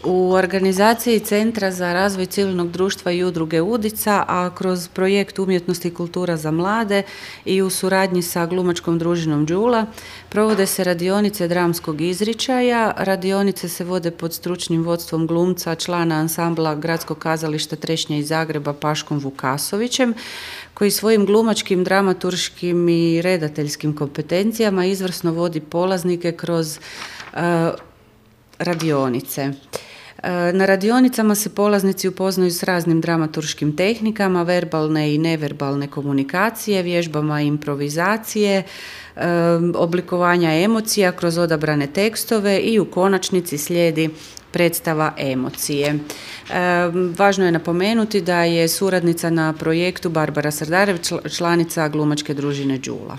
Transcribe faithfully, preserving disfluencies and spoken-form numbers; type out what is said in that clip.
U organizaciji Centra za razvoj civilnog društva i udruge Udica, a kroz projekt Umjetnost i kultura za mlade i u suradnji sa glumačkom družinom Đula, provode se radionice dramskog izričaja. Radionice se vode pod stručnim vodstvom glumca, člana ansambla Gradskog kazališta Trešnja iz Zagreba Paškom Vukasovićem, koji svojim glumačkim, dramaturškim i redateljskim kompetencijama izvrsno vodi polaznike kroz uh, radionice. Na radionicama se polaznici upoznaju s raznim dramaturškim tehnikama, verbalne i neverbalne komunikacije, vježbama improvizacije, oblikovanja emocija kroz odabrane tekstove i u konačnici slijedi predstava emocije. Važno je napomenuti da je suradnica na projektu Barbara Srdarević, članica glumačke družine Đula.